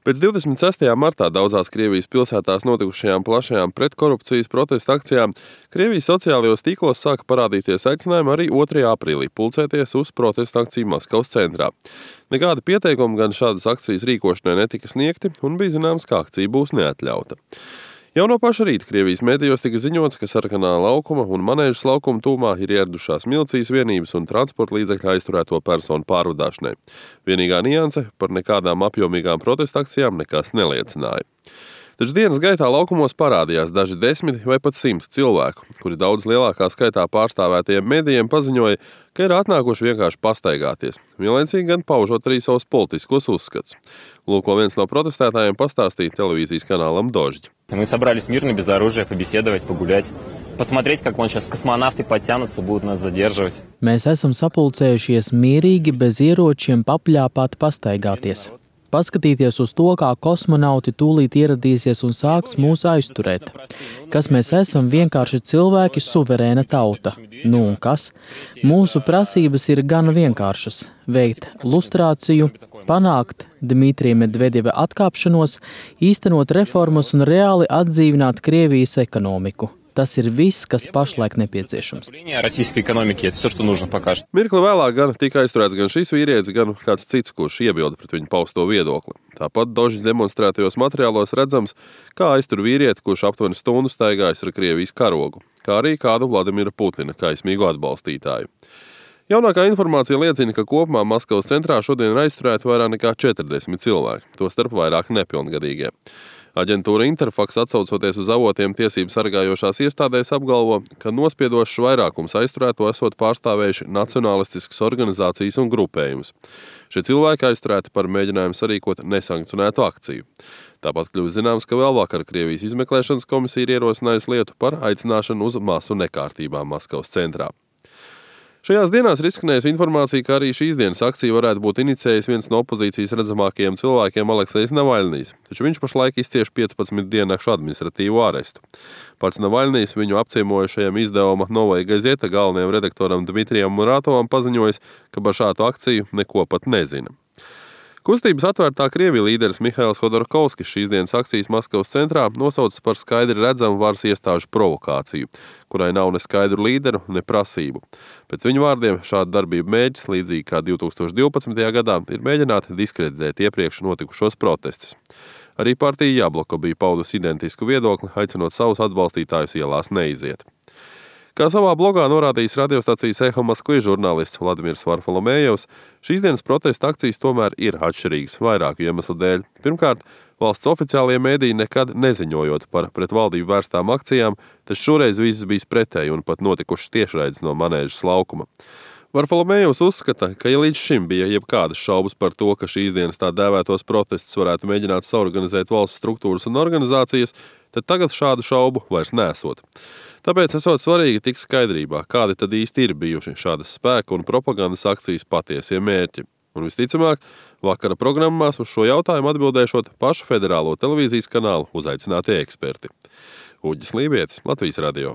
Pēc 26. martā daudzās Krievijas pilsētās notikušajām plašajām pretkorupcijas protesta akcijām Krievijas sociālajos tīklos sāka parādīties aicinājumi arī 2. aprīlī pulcēties uz protesta akciju Maskavas centrā. Nekādi pieteikumi gan šādas akcijas rīkošanai netika sniegti un bija zināms, ka akcija būs neatļauta. Jau no paša rīta Krievijas medijos tika ziņots, ka Sarkanā laukuma un Manēžas laukuma tūmā ir ieradušās milicijas vienības un transporta līdzekļu aizturēto personu pārvadāšanai. Vienīgā nianse par nekādām apjomīgām protesta akcijām nekas neliecināja. Taču dienas gaitā laukumos parādījās daži 10 vai pat 100 cilvēku, kuri daudz lielākā skaitā pārstāvētajiem medijiem paziņoja, ka ir atnākuši vienkārši pastaigāties, vienlaicīgi gan paužot arī savus politiskos uzskatus. Lūk, ko viens no protestētājiem pastāstīja televīzijas kanālam Dožģi. Мы собрались мирно, без оружия, побеседовать, погулять, посмотреть, как вон сейчас космонавты подтянутся, будут нас задерживать. Mēs esam sapulcējušies mierīgi, bez ieročiem, papļāpāt, pastaigāties. Paskatīties uz to, kā kosmonauti tūlīt ieradīsies un sāks mūs aizturēt. Kas mēs esam? Vienkārši cilvēki, suverēna tauta. Nu un kas? Mūsu prasības ir gan vienkāršas – veikt lustrāciju, panākt Dmitrija Medvedeva atkāpšanos, īstenot reformas un reāli atdzīvināt Krievijas ekonomiku. Tas ir viss, kas pašlaik nepieciešams. Mirkli vēlāk gan tika aizturēts gan šis vīrietis, gan kāds cits, kurš iebilda pret viņu pausto viedokli. Tāpat Dožģi demonstrētajos materiālos redzams, kā aiztur vīrieti, kurš aptuveni stundu staigājis ar Krievijas karogu, kā arī kādu Vladimira Putina kaismīgu atbalstītāju. Jaunākā informācija liecina, ka kopumā Maskavas centrā šodien ir aizturēti vairāk nekā 40 cilvēki, tostarp vairāk nepilngadīgie. Aģentūra Interfax, atsaucoties uz avotiem tiesību sargājošās iestādēs, apgalvo, ka nospiedošs vairākums aizturēto esot pārstāvējuši nacionālistiskas organizācijas un grupējumus. Šie cilvēki aizturēti par mēģinājumu sarīkot nesankcionētu akciju. Tāpat kļūst zināms, ka vēl vakar Krievijas izmeklēšanas komisija ir ierosinājusi lietu par aicināšanu uz masu nekārtībām Maskavas centrā. Šajās dienās ir izskanējusi informācija, ka arī šīs dienas akciju varētu būt inicijējis viens no opozīcijas redzamākajiem cilvēkiem Aleksejs Navaļnijs, taču viņš pašlaik izcieš 15 diennakšu administratīvu arestu. Pats Navaļnijs viņu apciemojušajam izdevuma Novaja Gazeta galvenajam redaktoram Dmitrijam Muratovam paziņojis, ka par šādu akciju neko pat nezina. Kustības Atvērtā Krievija līderis Mihails Hodorkovskis šīs dienas akcijas Maskavas centrā nosaucis par skaidri redzamu varas iestāžu provokāciju, kurai nav ne skaidru līderu, ne prasību. Pēc viņa vārdiem šāda darbība mērķis, līdzīgi kā 2012. gadā, ir mēģināt diskreditēt iepriekš notikušos protestus. Arī partija Jabloko bija paudusi identisku viedokli, aicinot savus atbalstītājus ielās neiziet. Kā savā blogā norādījis radiostacijas Eho Maskvi žurnālists Vladimirs Varfolomējevs, šīs dienas protesta akcijas tomēr ir atšķirīgas vairāku iemeslu dēļ. Pirmkārt, valsts oficiālie mēdīji nekad neziņojot par pret valdību vērstām akcijām, taču šoreiz viss bijis pretēji un pat notikušas tiešraides no Manēžas laukuma. Varfolomējevs uzskata, ka ja līdz šim bija jebkādas šaubas par to, ka šīs dienas tā dēvētos protestus varētu mēģināt saorganizēt valsts struktūras un organizācijas, tad tagad šādu šaubu vairs nesot. Tāpēc esot svarīgi tik skaidrībā, kādi tad īsti ir bijuši šādas spēka un propagandas akcijas patiesie mērķi. Un visticamāk, vakara programmās uz šo jautājumu atbildēšot pašu federālo televīzijas kanālu uzaicinātie eksperti. Uģis Lībietis, Latvijas radio.